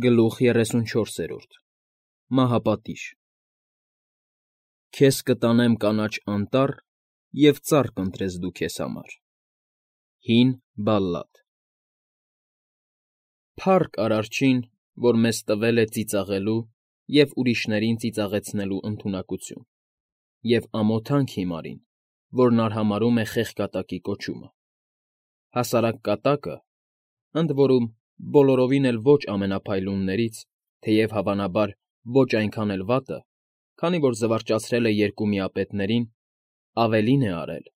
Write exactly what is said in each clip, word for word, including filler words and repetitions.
Գլուխ երեսունչորսերորդ Մահապատիժ Քեզ կտանեմ կանաչ անտառ, և ծառ կընտրես դու քեզ համար։ Հին բալլադ Փառք Արարչին, որ մեզ տվել է ծիծաղելու և ուրիշներին ծիծաղեցնելու ընդունակություն, և ամոթանք հիմարին, որն արհամարհում է խեղկատակի կոչումը։ Հասարակ կատակը, ընդ որում բոլորովին էլ ոչ ամենափայլուններից, թեև, հավանաբար, ոչ այնքան էլ վատը, քանի որ զվարճացրել է երկու միապետներին, ավելին է արել,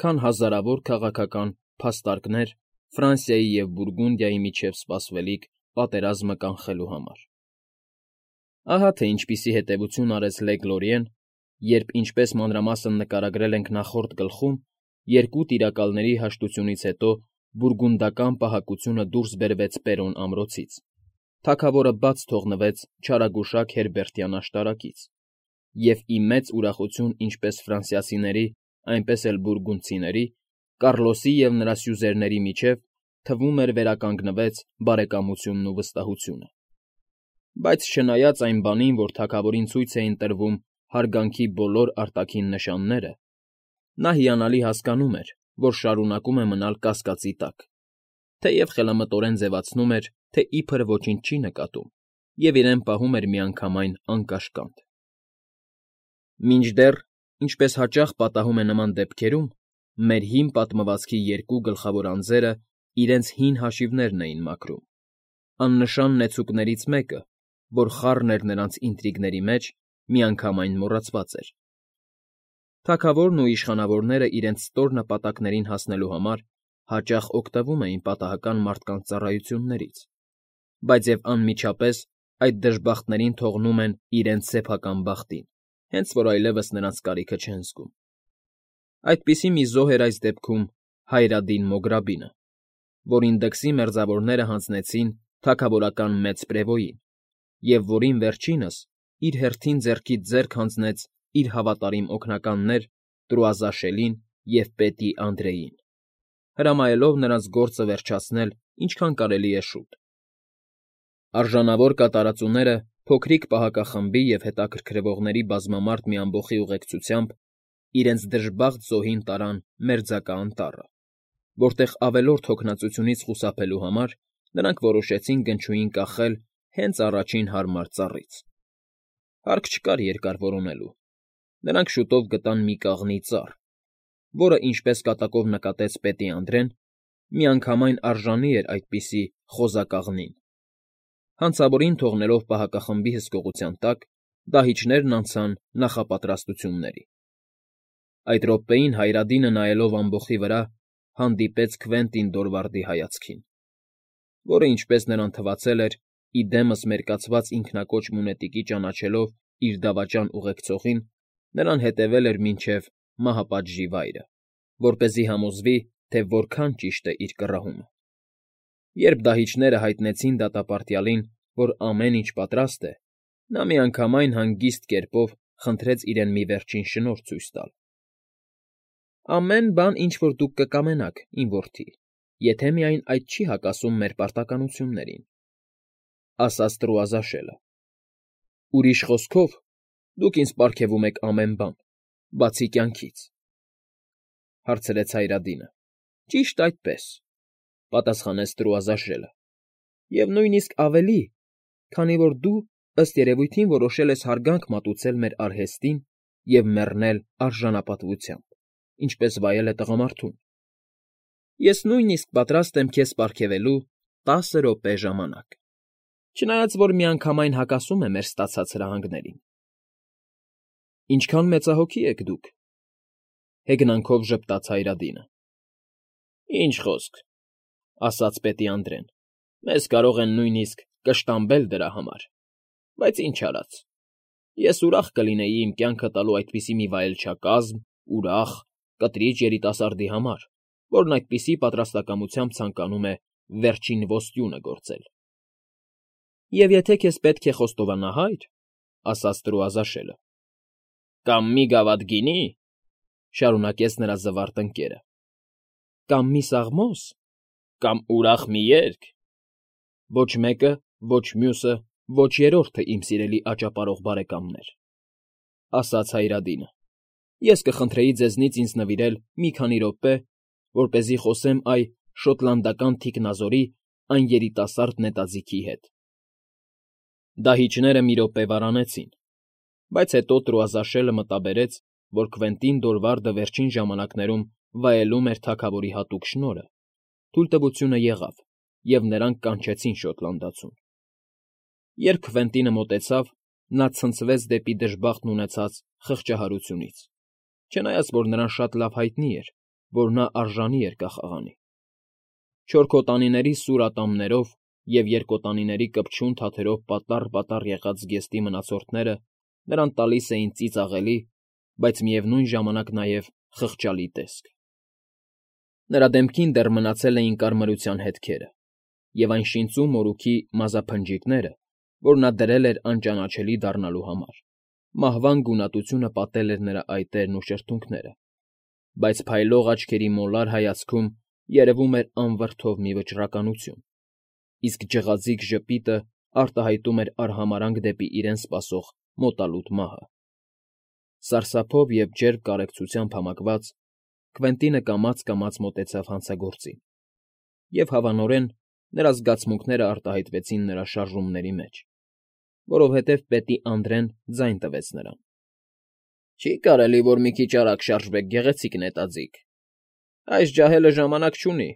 քան հազարավոր քաղաքական փաստարկներ Ֆրանսիայի և Բուրգունդիայի միջև սպասվելիք պատերազմը կանխելու համար։ Ահա թե ինչպիսի հետևություն արեց Լեգլորիեն, երբ, ինչպես մանրամասն նկարագրել ենք նախորդ գլխում, երկու տիրակալների հաշտությունից հետո բուրգունդական պահակությունը դուրս բերվեց Պերոն ամրոցից, թագավորը բաց թողնվեց չարագուշակ Հերբերտյան աշտարակից, և ի մեծ ուրախություն ինչպես ֆրանսիացիների, այնպես էլ բուրգունդցիների, Կառլոսի և նրա սյուզերների միջև, թվում էր, վերականգնվեց բարեկամությունն ու վստահությունը։ Բայց չնայած այն բանին, որ թագավորին ցույց էին տրվում հարգանքի բոլոր արտաքին նշանները, նա հիանալի հասկանում էր, որ շարունակում է մնալ կասկածի տակ, թեև խելամտորեն ձևացնում էր, թե իբր ոչինչ չի նկատում, և իրեն պահում էր միանգամայն անկաշկանդ։ Մինչդեռ, ինչպես հաճախ պատահում է նման դեպքերում, մեր հին պատմվածքի երկու գլխավոր անձերը իրենց հին հաշիվներն էին մաքրում, աննշան նեցուկներից մեկը, որ խառն էր նրանց ինտրիգների մեջ, միանգամայն մոռացված էր։ Թագավորն ու իշխանավորները իրենց ստոր նպատակներին հասնելու համար հաճախ օգտվում էին պատահական մարդկանց ծառայություններից, բայց և անմիջապես այդ դժբախտներին թողնում են իրենց սեփական բախտին, հենց որ այլևս նրանց կարիքը չեն զգում։ Այդպիսի մի զոհ էր այս դեպքում Հայրադին Մոգրաբինը, որին դքսի մերձավորները հանձնեցին թագավորական մեծ պրևոյին, և որին վերջինս իր հերթին ձեռքից ձեռք հանձնեց իր հավատարիմ օգնականներ Տրուազաշելին և պետի Անդրեին, հրամայելով նրանց գործը վերջացնել ինչքան կարելի է շուտ։ Արժանավոր կատարածուները փոքրիկ պահակախմբի և հետաքրքրվողների բազմամարդ մի ամբոխի ուղեկցությամբ իրենց դժբախտ զոհին տարան Մերձակա անտառը, որտեղ ավելորդ հոգնածությունից խուսափելու համար նրանք որոշեցին գնչուին կախել հենց առաջին հարմար ծառից։ Հարկ չկար երկար որոնելու. նրանք շուտով գտան մի կաղնի ծառ, որը, ինչպես կատակով նկատեց պետի Անդրեն, միանգամայն արժանի էր այդպիսի խոզակաղնին։ Հանցավորին թողնելով պահակախմբի հսկողության տակ, դահիճներն անցան նախապատրաստությունների։ Այդ րոպեին Հայրադինը, նայելով ամբոխի վրա, հանդիպեց Քվենտին Դորվարդի հայացքին, որը, ինչպես նրան թվացել էր, ի դեմս մերկացված ինքնակոչ մունետիկի ճանաչելով իր դավաճան ուղեկցողին, նրան հետևել էր մինչև մահապատժի վայրը, որպեսզի համոզվի, թե որքան ճիշտ է իր կռահումը։ Երբ դահիճները հայտնեցին դատապարտյալին, որ ամեն ինչ պատրաստ է, նա միանգամայն հանգիստ կերպով խնդրեց իրեն մի վերջին շնորհ ցույց տալ։ ֊ Ամեն բան, ինչ որ դուք կկամենաք, իմ որդի, եթե միայն այդ չի հակասում մեր պարտականություններին,֊ ասաց Տրուազաշելը։ ֊ Ուրիշ խոսքով, դուք ինձ պարգևում եք ամեն բան, բացի կյանքից,֊ հարցրեց Հայրադինը։ ֊ Ճիշտ այդպես,֊ պատասխանեց Տրուազաշելը,֊ և նույնիսկ ավելի, քանի որ դու, ըստ երևույթին, որոշել ես հարգանք մատուցել մեր արհեստին և մեռնել արժանապատվությամբ, ինչպես վայել է տղամարդուն։ Ես նույնիսկ պատրաստ եմ քեզ պարգևելու տասը րոպե ժամանակ, չնայած որ միանգամայն հակասում է մեր ստացած հրահանգներին։ ֊ Ինչքան մեծահոգի եք դուք,֊ հեգնանքով ժպտաց Հայրադինը։ ֊ Ինչ խոսք,֊ ասաց պետի Անդրեն,֊ մեզ կարող են նույնիսկ կշտամբել դրա համար, բայց ինչ արած, ես ուրախ կլինեի իմ կյանքը տալու այդպիսի մի վայելչակազմ, ուրախ, կտրիճ երիտասարդի համար, որն այդպիսի պատրաստակամությամբ ցանկանում է վերջին ոսկյունը գործել։ ֊ Եվ եթե քեզ պետք է խոստովանա, հայր,֊ ասաց Տրուազաշելը։ ֊ Կամ մի գավաթ գինի,֊ շարունակեց նրա զվարթ ընկերը։ ֊ Կամ մի սաղմոս, կամ ուրախ մի երգ,֊ ոչ մեկը, ոչ մյուսը, ոչ երրորդը, իմ սիրելի աճապարող բարեկամներ,֊ ասաց Հայրադինը,֊ ես կխնդրեի ձեզնից ինձ նվիրել մի քանի րոպե, որպեսզի խոսեմ այ շոտլանդական թիկնազորի այն երիտասարդ նետաձիգի հետ… Դահիճները մի րոպե վառանեցին, բայց հետո Տրուազաշելը մտաբերեց, որ Քվենտին Դորվարդը վերջին ժամանակներում վայելում էր թագավորի հատուկ շնորհը, թույլտվությունը եղավ, և նրանք կանչեցին շոտլանդացուն… Երբ Քվենտինը մոտեցավ, նա ցնցվեց դեպի դժբախտն ունեցած խղճահարությունից, չնայած որ նրան շատ լավ հայտնի էր, որ նա արժանի էր կախաղանի… Չորքոտանիների սուր ատամներով և երկոտանիների կպչուն թաթերով պատառ֊պատառ եղած զգեստի մնացորդները նրան տալիս էին ծիծաղելի, բայց միևնույն ժամանակ նաև խղճալի տեսք… Նրա դեմքին դեռ մնացել էին կարմրության հետքերը, և այն շինծու մորուքի մազափնջիկները, որ նա դրել էր անճանաչելի դառնալու համար, մահվան գունատությունը պատել էր նրա այտերն ու շրթունքները, բայց փայլող աչքերի մոլար հայացքում երևում էր անվրդով մի վճռականություն, իսկ ջղաձիգ ժպիտը արտահայտում էր արհամարհանք դեպի իրեն սպասող մոտալուտ մահը… Սարսափով և ջերմ կարեկցությամբ համակված՝ Քվենտինը կամաց֊կամաց մոտեցավ հանցագործին, և հավանորեն նրա զգացմունքները արտահայտվեցին նրա շարժումների մեջ, որովհետև պետի անդրեն ձայն տվեց նրան. ֊ Չի՞ կարելի, որ մի քիչ արագ շարժվեք, գեղեցիկ նետաձիգ… Այս ջահելը ժամանակ չունի,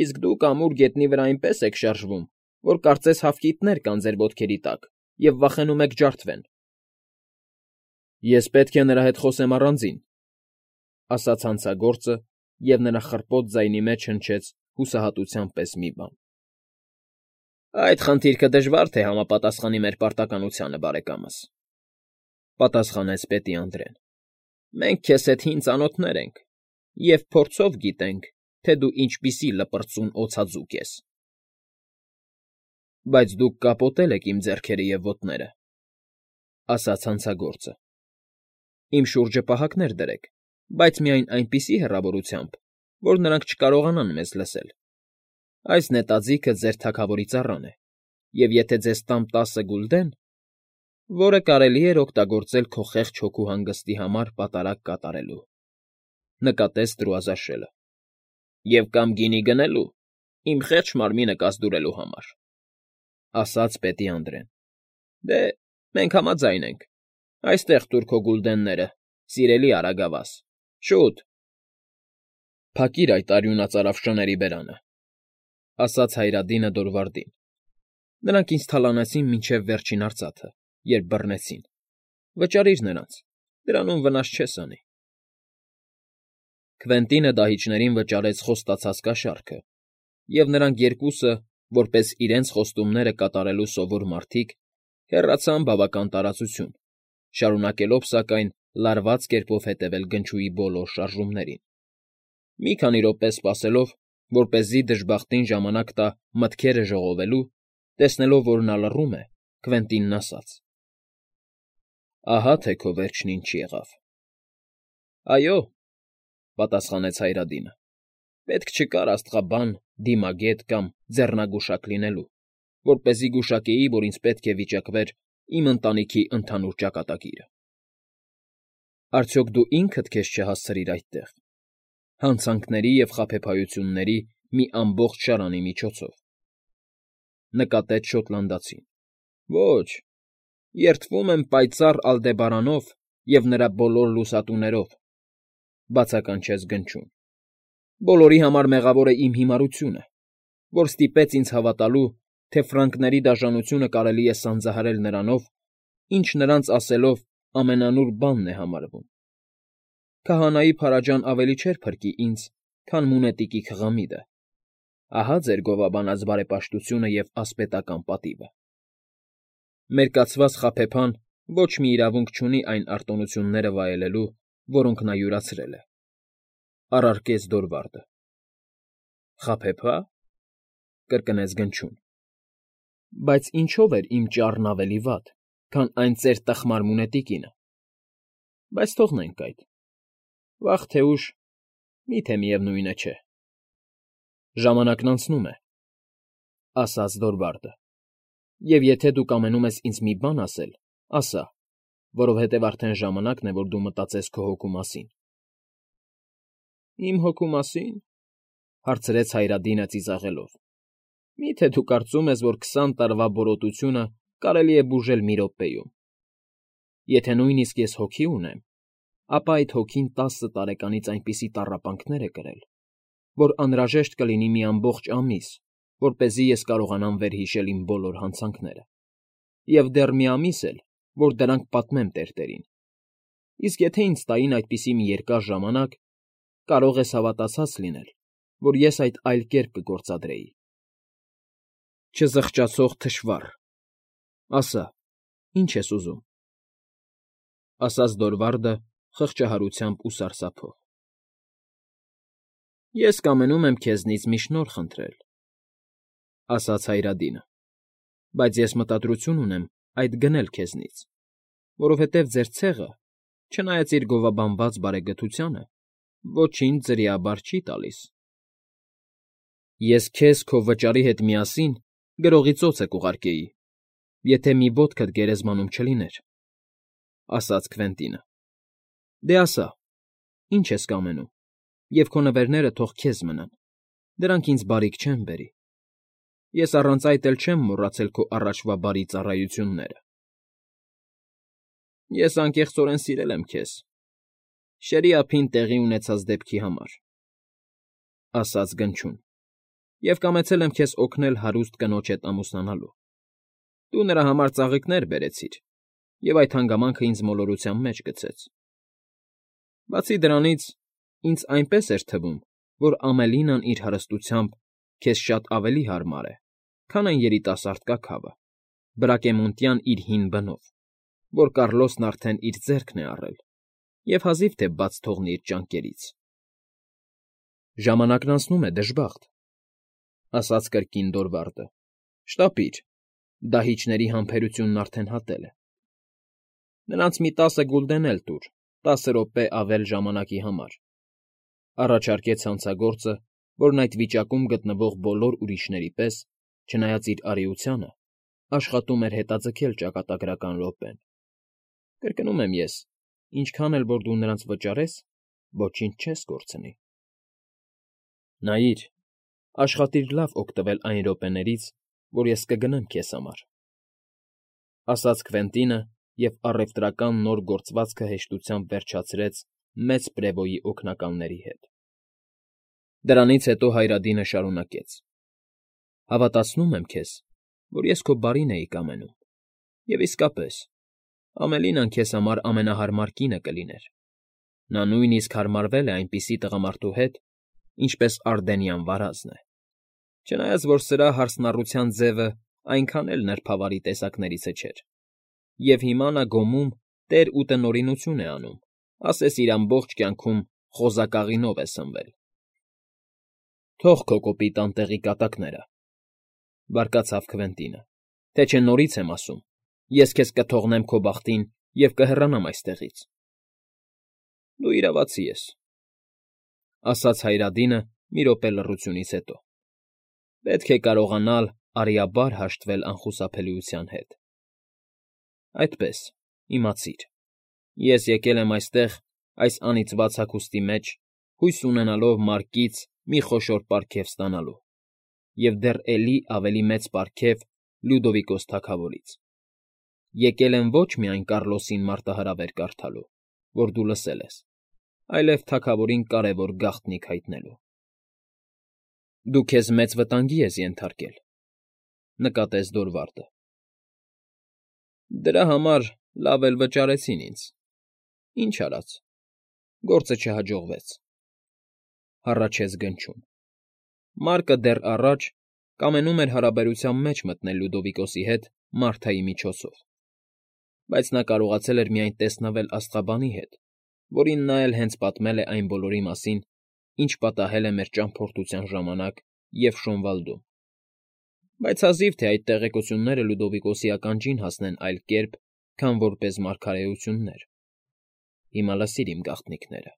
իսկ դուք ամուր գետնի վրա այնպես եք շարժվում, որ կարծես հավկիթներ կան ձեր ոտքերի տակ և վախենում եք ջարդվեն… ֊ Ես պետք է նրա հետ խոսեմ առանձին,֊ ասաց հանցագործը, և նրա խռպոտ ձայնի մեջ հնչեց հուսահատության պես մի բան։ ֊ Այդ խնդիրքը դժվար թե համապատասխանի մեր պարտականությանը, բարեկամս,֊ պատասխանեց պետի անդրեն,֊ մենք քեզ հետ հին ծանոթներ ենք և փորձով գիտենք, թե դու ինչպիսի լպրծուն օձաձուկ ես… ֊ Բայց դուք կապոտել եք իմ ձեռքերը և ոտները,֊ ասաց հանցագործը,֊ իմ շուրջը պահակներ դրեք, բայց միայն այնպիսի հեռավորությամբ, որ նրանք չկարողանան մեզ լսել… Այս նետաձիգը ձեր թագավորի ծառան է, և եթե ձեզ տամ տասը գուլդեն, որը կարելի էր օգտագործել քո խեղճ հոգու հանգստի համար պատարագ կատարելու…֊ նկատեց Տրուազաշելը,֊ Եվ կամ գինի գնելու, իմ խեղճ մարմինը կազդուրելու համար,֊ ասաց պետի անդրեն,֊ Դե, մենք համաձայն ենք… Այստեղ տուր քո գուլդենները, սիրելի արագավաս, շուտ… ֊ Փակիր այդ արյունածարավ շների բերանը,֊ ասաց Հայրադինը Դորվարդին. նրանք ինձ թալանեցին մինչև վերջին արծաթը, երբ բռնեցին… Վճարիր նրանց, դրանում վնաս չես անի… Քվենտինը դահիճներին վճարեց խոստացած կաշառքը, և նրանք երկուսը, որպես իրենց խոստումները կատարելու սովոր մարդիկ, հեռացան բավական տարածություն, շարունակելով, սակայն, լարված կերպով հետևել գնչուի բոլոր շարժումներին… Մի քանի րոպե սպասելով, որպեսզի դժբախտին ժամանակ տա մտքերը ժողովելու, տեսնելով, որ նա լռում է, Քվենտինն ասաց. ֊ Ահա թե քո վերջն ինչ եղավ… ֊ Այո,֊ պատասխանեց Հայրադինը,֊ պետք չկար աստղաբան, դիմագետ կամ ձեռնագուշակ լինելու, որպեսզի գուշակեի, որ ինձ պետք է վիճակվեր իմ ընտանիքի ընդհանուր ճակատագիրը… Արդյոք դու ինքդ քեզ չհասցրիր այդտեղ, հանցանքների և խաբեբայությունների մի ամբողջ շարանի միջոցով,֊ նկատեց շոտլանդացին։ ֊ Ոչ, երդվում եմ պայծառ Ալդեբարանով և նրա բոլոր լուսատուներով,֊ բացականչեց Գնչուն,֊ բոլորի համար մեղավոր է իմ հիմարությունը, որ ստիպեց ինձ հավատալու, թե ֆրանկների դաժանությունը կարելի է սանձահարել նրանով, ինչ նրանց ասելով ամենանուռ բանն է համարվում… Քահանայի փարաջան ավելի չէր փրկի ինձ, քան մունետիկի քղամիդը… Ահա ձեր գովաբանած բարեպաշտությունը և ասպետական պատիվը… Մեր կացված խաբեբան ոչ մի իրավունք չունի այն արտոնությունները վայելելու, որոնք նա յուրացրել է,֊ առարկեց Դորվարդը։ ֊ Խաբեբա՞…֊ կրկնեց Գնչուն,֊ Բայց ինչո՞վ էր իմ ճառն ավելի վատ, քան այն ծեր տխմար մունետիկինը… Բայց թողնենք այդ… Վաղ թե ուշ, մի՞թե միևնույն չէ… Ժամանակն անցնում է,֊ ասաց Դորվարդը։ Եվ եթե դու կամենում ես ինձ մի բան ասել, ասա, որովհետև արդեն ժամանակն է, որ դու մտածես քո հոգու մասին։ ֊ Իմ հոգու մասի՞ն,֊ հարցրեց Հայրադինը ծիծաղելով։ ֊ Մի՞թե դու կարծում ես, որ քսան տարվա բորոտությունը կարելի է բուժել մի րոպեում։ Եթե նույնիսկ ես հոգի ունեմ, ապա այդ հոգին տասը տարեկանից այնպիսի տառապանքներ է կրել, որ անհրաժեշտ կլինի մի ամբողջ ամիս, որպեսզի ես կարողանամ վերհիշել իմ բոլոր հանցանքները, և դեռ մի ամիս էլ, որ դրանք պատմեմ տերտերին։ Իսկ եթե ինձ տային այդպիսի մի երկար ժամանակ, կարող ես հավատացած լինել, որ ես այդ այլ կերպ կգործադրեի։ Չզղջացող թշվառ, ասա, ի՞նչ ես ուզում,֊ ասաց Դորվարդը խղճահարությամբ ու սարսափով։ ֊ Ես կամենում եմ քեզնից մի շնորհ խնդրել,֊ ասաց Հայրադինը,֊ բայց ես մտադրություն ունեմ այդ գնել քեզնից, որովհետև ձեր ցեղը, չնայած իր գովաբանված բարեգթությանը, ոչինչ ձրիաբար չի տալիս։ ֊ Ես քեզ քո վճարի հետ միասին գրողի ծոցը կուղարկեի, եթե մի ոտքդ գերեզմանում չլիներ,֊ ասաց Քվենտինը։ ֊ Դե ասա, ի՞նչ ես կամենում, և քո նվերները թող քեզ մնան, դրանք ինձ բարիք չեն բերի։ Ես առանց այդ էլ չեմ մոռացել քո առաջվա բարի ծառայությունները։ ֊ Ես անկեղծորեն սիրել եմ քեզ, շերի ափին տեղի ունեցած դեպքի համար,֊ ասաց Գնչուն,֊ և կամեցել եմ քեզ օգնել հարուստ կնոջ հետ ամուսնանալու։ Դու նրա համար ծաղիկներ բերեցիր, և այդ հանգամանքը ինձ մոլորության մեջ գցեց։ Բացի դրանից, ինձ այնպես էր թվում, որ Ամելինան իր հարստությամբ քեզ շատ ավելի հարմար է, քան այն երիտասարդ կաքավը, Բրակեմոնտյան իր հին բնով, որ Կառլոսն արդեն իր ձեռքն է առել և հազիվ թե բաց թողնի իր ճանկերից։ ֊ Ժամանակն անցնում է, դժբախտ,֊ ասաց կրկին Դորվարդը,֊ շտապիր, դահիճների համբերությունն արդեն հատել է։ Նրանց մի տասը գուլդեն էլ տուր, տասը րոպե ավել ժամանակի համար,֊ առաջարկեց հանցագործը, որն այդ վիճակում գտնվող բոլոր ուրիշների պես, չնայած իր արիությանը, աշխատում էր հետաձգել ճակատագրական րոպեն։ Կրկնում եմ ես, ինչքան էլ որ դու նրանց վճարես, ոչինչ չես կորցնի։ ֊ Նայիր, աշխատիր լավ օգտվել այն րոպեներից, որ ես կգնեմ քեզ համար,֊ ասաց Քվենտինը և առևտրական նոր գործվածքը հեշտությամբ վերջացրեց մեծ պրևոյի օգնականների հետ։ Դրանից հետո Հայրադինը շարունակեց. ֊ Հավատացնում եմ քեզ, որ ես քո բարին էի կամենում, և իսկապես, Ամելինան քեզ համար ամենահարմար կինը կլիներ։ Նա նույնիսկ հարմարվել է այնպիսի տղամարդու հետ, ինչպես Արդենյան վարազն է, չնայած որ սրա հարսնառության ձևը այնքան էլ նրբավարի տեսակներից չէր, և հիմա նա Գոմում տեր ու տնօրինություն է անում, ասես իր ամբողջ կյանքում խոզակաղինով է սնվել։ ֊ Թող քո կոպիտ անտեղի կատակները,֊ բարկացավ Քվենտինը,֊ թե չէ նորից եմ ասում, ես քեզ կթողնեմ քո բախտին և կհեռանամ այստեղից։ ֊ Դու իրավացի ես,֊ ասաց Հայրադինը մի րոպե լռությունից հետո,֊ պետք է կարողանալ արիաբար հաշտվել անխուսափելիության հետ։ Այդպես, իմացիր, ես եկել եմ այստեղ այս անիծված հագուստի մեջ, հույս ունենալով մարկից մի խոշոր պարգև ստանալու և դեռ էլի ավելի մեծ պարգև Լյուդովիկոս թագավորից։ Եկել եմ ոչ միայն Կառլոսին մարտահրավեր կարդալու, որ դու լսել ես, այլև թագավորին կարևոր գաղտնիք հայտնելու։ ֊ Դու քեզ մեծ վտանգի ես ենթարկել,֊ նկատեց Դորվարդը։ ֊ Դրա համար լավ էլ վճարեցին ինձ, ինչ արած, գործը չհաջողվեց,֊ հառաչեց Գնչուն։ Մարկը դեռ առաջ կամենում էր հարաբերության մեջ մտնել Լյուդովիկոսի հետ Մարթայի միջոցով, բայց նա կարողացել էր միայն տեսնվել աստղաբանի հետ, որին նա էլ հենց պատմել է այն բոլորի մասին, ինչ պատահել է մեր ճամփորդության ժամանակ և Շոնվալդում, բայց հազիվ թե այդ տեղեկությունները Լյուդովիկոսի ականջին հասնեն այլ կերպ, քան որպես մարգարեություններ։ Հիմա լսիր իմ գաղտնիքները.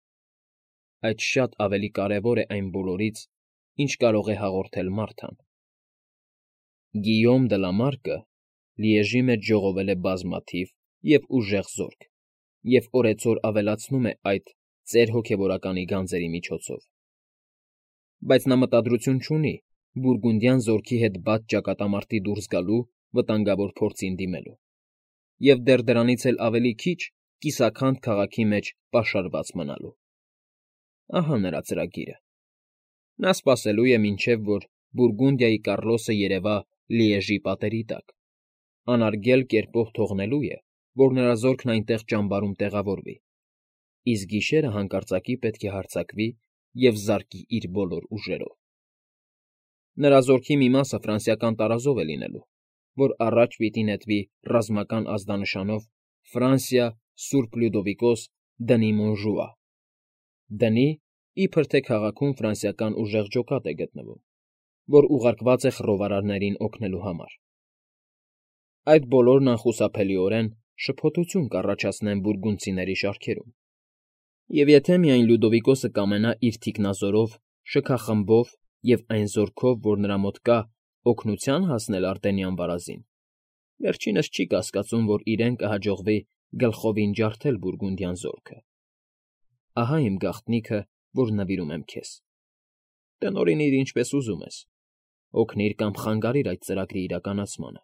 այդ շատ ավելի կարևոր է այն բոլորից, ինչ կարող է հաղորդել Մարթան։ Գիյոմ դը Լա Մարկը Լիեժի մեջ ժողովել է բազմաթիվ և ուժեղ զորք և օրեցօր ավելացնում է այդ ծեր հոգևորականի գանձերի միջոցով։ Բայց նա մտադրություն չունի բուրգունդյան զորքի հետ բաց ճակատամարտի դուրս գալու վտանգավոր փորձին դիմելու և դեռ դրանից էլ ավելի քիչ կիսաքանդ քաղաքի մեջ պաշարված մնալու։ Ահա նրա ծրագիրը. նա սպասելու է, մինչև որ Բուրգունդիայի Կառլոսը երևա Լիեժի պատերի տակ, անարգել կերպով թողնելու է, որ նրա զորքն այնտեղ ճամբարում տեղավորվի, իսկ գիշերը հանկարծակի պետք է հարձակվի և զարկի իր բոլոր ուժերով։ Նրա զորքի մի մասը ֆրանսիական տարազով է լինելու, որ առաջ պիտի նետվի ռազմական ազդանշանով «Ֆրանսիա, Սուրբ Լյուդովիկոս, դնի Մոնժուա»։ Դնի, իբր թե քաղաքում ֆրանսիական ուժեղ ջոկատ է գտնվում, որ ուղարկված է խռովարարներին օգնելու համար։ Այդ բոլորն անխուսափելիորեն շփոթություն կառաջացնեն բուրգունդցիների շարքերում, և եթե միայն Լյուդովիկոսը կամենա իր թիկնազորով, շքախմբով և այն զորքով, որ նրա մոտ կա, օգնության հասնել Արտենյան վարազին, վերջինս չի կասկածում, որ իրեն կհաջողվի գլխովին ջարդել բուրգունդյան զորքը։ Ահա իմ գաղտնիքը, որ նվիրում եմ քեզ։ Տնօրինիր ինչպես ուզում ես, օգնիր կամ խանգարիր այդ ծրագրի իրականացմանը,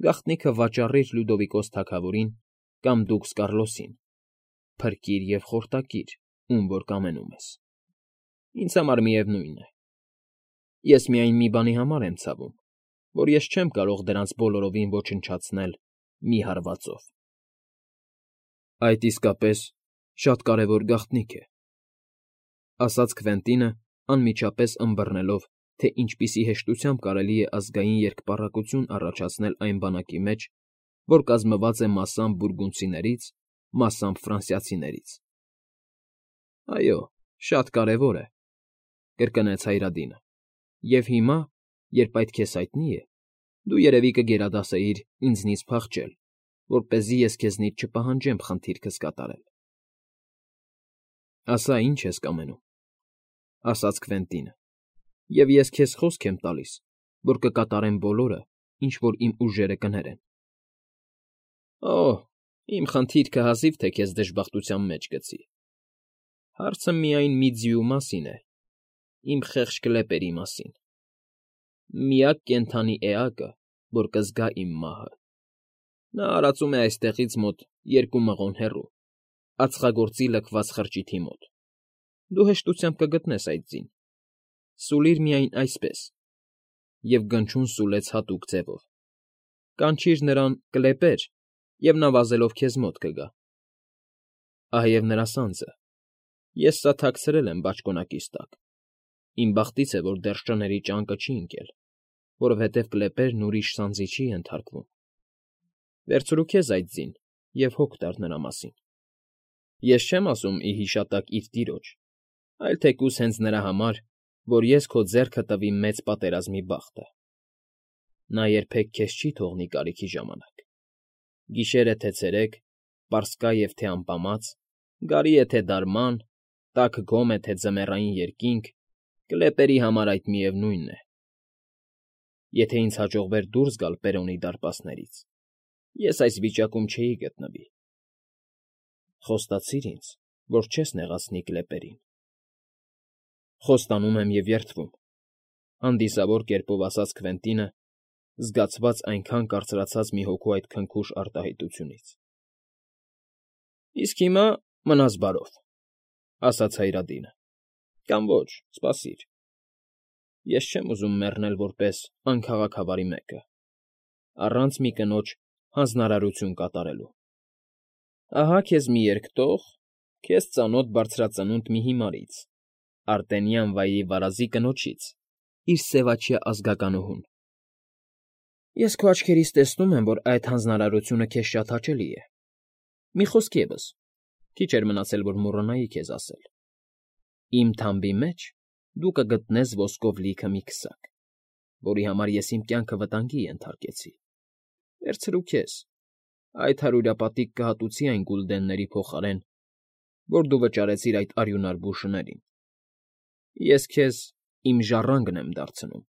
գաղտնիքը վաճառիր Լյուդովիկոս թագավորին կամ դուքս Կառլոսին, փրկիր և խորտակիր, ում որ կամենում ես։ Ինձ համար միևնույն է։ Ես միայն մի բանի համար եմ ցավում, որ ես չեմ կարող դրանց բոլորովին ոչնչացնել մի հարվածով։ Այդ իսկապես շատ կարևոր գաղտնիք է,֊ ասաց Քվենտինը, անմիջապես ըմբռնելով, թե ինչպիսի հեշտությամբ կարելի է ազգային երկպառակտություն առաջացնել այն բանակի մեջ, որ կազմված է մասամբ բուրգունդցիներից, մասամբ ֆրանսիացիներից։ ֊ Այո, շատ կարևոր է,֊ կրկնեց Հայրադինը,֊ և հիմա, երբ այդ քեզ հայտնի է, դու երևի կգերադասեիր ինձնից փախչել, որպեսզի ես քեզնից չպահանջեմ խնդիրքս կատարել։ ֊ Ասա, ինչ ես կամենում,֊ ասաց Քվենտինը,֊ և ես քեզ խոսք եմ տալիս, որ կկատարեմ բոլորը, ինչ որ իմ ուժերը կներեն։ ֊ Օ՜, իմ խնդիրքը հազիվ թե քեզ դժբախտության մեջ գցի։ Հարցը միայն մի ձիու մասին է, իմ խեղճ կլեպերի մասին։ Միակ կենդանի էակը, որ կզգա իմ մահը։ Նա արածում է այստեղից մոտ երկու մղոն հեռու, ածխագործի լքված խրճիթի մոտ։ Դու հեշտությամբ կգտնես այդ ձին։ Սուլիր միայն այսպես (և գնչուն սուլեց հատուկ ձևով), կանչիր նրան «կլեպեր», և նա վազելով քեզ մոտ կգա։ Ահա և նրա սանձը։ Ես սա թաքցրել եմ բաճկոնակիս տակ։ Իմ բախտից է, որ դեռ շների ճանկը չի ընկել, որովհետև կլեպերն ուրիշ սանձի չի ենթարկվում։ Վերցրու քեզ այդ ձին և հոգ տար նրա մասին։ Ես չեմ ասում ի հիշատակ իր տիրոջ, այլ թեկուզ հենց նրա համար, որ ես քո ձեռքը տվի մեծ պատերազմի բախտը։ Նա երբեք քեզ չի թողնի կարիքի ժամանակ։ Գիշեր է թե ցերեկ, պարսկա է թե ամպամած, գարի է թե դարման, տաք գոմ է թե ձմեռային երկինք, կլեպերի համար այդ միևնույնն է։ Եթե ինձ հաջողվեր դուրս գալ Պերոնի դարպասներից, ես այս վիճակում չէի գտնվի։ Խոստացիր ինձ, որ չես նեղացնի կլեպերին։ Խոստանում եմ և երդվում,֊ հանդիսավոր կերպով ասաց Քվենտինը, զգացված այնքան կարծրացած մի հոգու այդ քնքուշ արտահայտությունից։ ֊ Իսկ հիմա մնաս բարով,֊ ասաց Հայրադինը,֊ կամ ոչ, սպասիր։ Ես չեմ ուզում մեռնել որպես անքաղաքավարի մեկը, առանց մի կնոջ հանձնարարություն կատարելու։ Ահա քեզ մի երկտող, քեզ ծանոթ բարձրածնունդ մի հիմարից, Արտենյան վայրի վարազի կնոջից, իր սևաչյա ազգականուհուն։ Ես քո աչքերից տեսնում եմ, որ այդ հանձնարարությունը քեզ շատ հաճելի է։ Մի խոսք ևս, քիչ էր մնացել, որ մոռանայի քեզ ասել. իմ թամբի մեջ դու կգտնես ոսկով լիքը մի քսակ, որի համար ես իմ կյանքը վտանգի ենթարկեցի։ Վերցրու քեզ, այդ հարյուրապատիկ կհատուցի այն գուլդենների փոխարեն, որ դու վճարեցիր այդ արյունար բուժներին։ Ես քեզ իմ ժառանգն եմ դարձնում։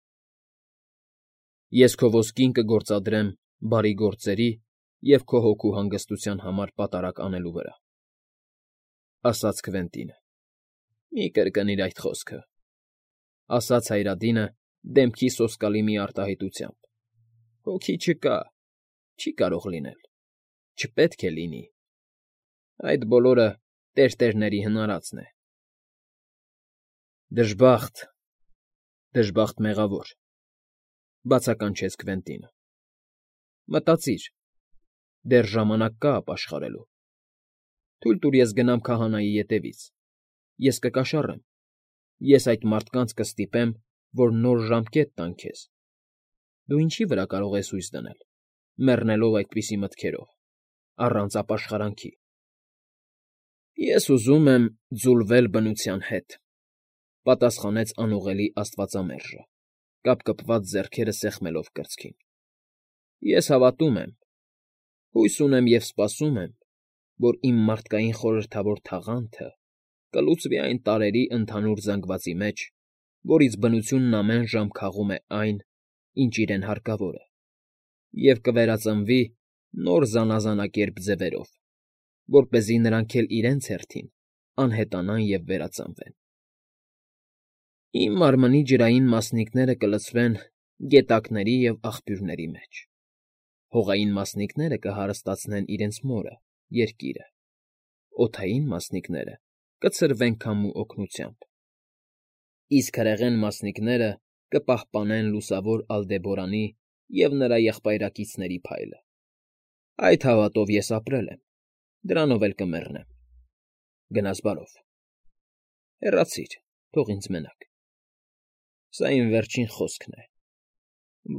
Ես քո ոսկին կգործադրեմ բարի գործերի և քո հոգու հանգստության համար պատարակ անելու վրա,֊ ասաց Քվենտինը։ ֊ Մի կրկնիր այդ խոսքը,֊ ասաց Հայրադինը դեմքի սոսկալի մի արտահայտությամբ։֊ Հոգի չկա, չի կարող լինել, չպետք է լինի… Այդ բոլորը տերտերների հնարածն է… ֊ Դժբախտ, դժբախտ մեղավոր,֊ բացականչեց Քվենտինը։ ֊ Մտածիր, դեռ ժամանակ կա ապաշխարելու… Թույլ տուր ես գնամ քահանայի ետևից, ես կկաշառեմ, ես այդ մարդկանց կստիպեմ, որ նոր ժամկետ տան քեզ… Դու ինչի՞ վրա կարող ես հույս դնել, մեռնելով այդպիսի մտքերով, առանց ապաշխարանքի… ֊ Ես ուզում եմ ձուլվել բնության հետ,֊ պատասխանեց անուղելի աստվածամերժը, կապկպված ձեռքերը սեղմելով կրծքին։֊ Ես հավատում եմ, հույս ունեմ և սպասում եմ, որ իմ մարդկային խորհրդավոր թաղանթը կլուծվի այն տարրերի ընդհանուր զանգվածի մեջ, որից բնությունն ամեն ժամ քաղում է այն, ինչ իրեն հարկավոր է, և կվերածնվի նոր զանազանակերպ ձևերով, որպեսզի նրանք էլ իրենց հերթին անհետանան և վերածնվեն… Իմ մարմնի ջրային մասնիկները կլցվեն գետակների և աղբյուրների մեջ, հողային մասնիկները կհարստացնեն իրենց մորը՝ երկիրը, օդային մասնիկները կցրվեն քամու օգնությամբ, իսկ հրեղեն մասնիկները կպահպանեն լուսավոր Ալդեբորանի և նրա եղբայրակիցների փայլը… Այդ հավատով ես ապրել եմ, դրանով էլ կմեռնեմ… Գնաս բարով… Հեռացիր, թող ինձ մենակ… Սա իմ վերջին խոսքն է…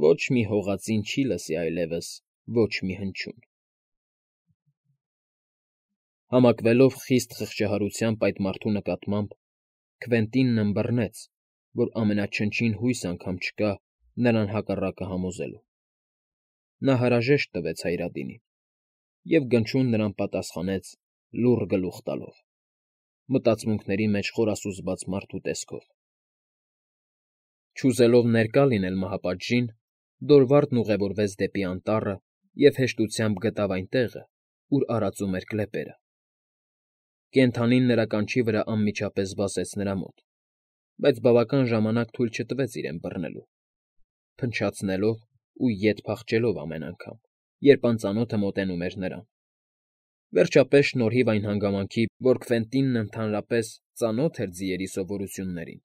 Ոչ մի հողածին չի լսի այլևս ոչ մի հնչյուն… Համակվելով խիստ խղճահարությամբ այդ մարդու նկատմամբ, Քվենտինն ըմբռնեց, որ ամենաչնչին հույս անգամ չկա նրան հակառակը համոզելու… Նա հարաժեշտ տվեց Հայրադինին, և գնչուն նրան պատասխանեց լուռ գլուխ տալով, մտածմունքների մեջ խորասուզված մարդու տեսքով… Չուզելով ներկա լինել մահապատժին, Դորվարդն ուղևորվեց դեպի անտառը և հեշտությամբ գտավ այն տեղը, ուր արածում էր կլեպերը… Կենդանին նրա կանչի վրա անմիջապես վազեց նրա մոտ, բայց բավական ժամանակ թույլ չտվեց իրեն բռնելու, փնչացնելով ու ետ փախչելով ամեն անգամ, երբ անծանոթը մոտենում էր նրան… Վերջապես, շնորհիվ այն հանգամանքի, որ Քվենտինն ընդհանրապես ծանոթ էր ձիերի սովորություններին,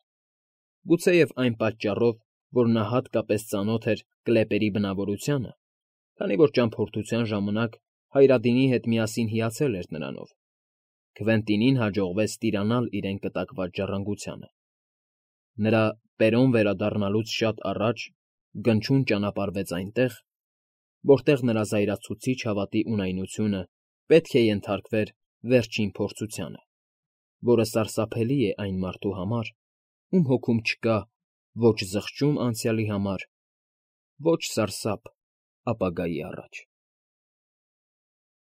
գուցեև այն պատճառով, որ նա հատկապես ծանոթ էր կլեպերի բնավորությանը, քանի որ ճամփորդության ժամանակ Հայրադինի հետ միասին հիացել էր նրանով, Քվենտինին հաջողվեց տիրանալ իրեն կտակված ժառանգությանը… Նրա Պերոն վերադառնալուց շատ առաջ գնչուն ճանապարհվեց այնտեղ, որտեղ նրա զայրացուցիչ հավատի ունայնությունը պետք է ենթարկվեր վերջին փորձությանը, որը սարսափելի է այն մարդու համար, ում հոգում չկա ոչ զղջում անցյալի համար, ոչ սարսափ ապագայի առաջ…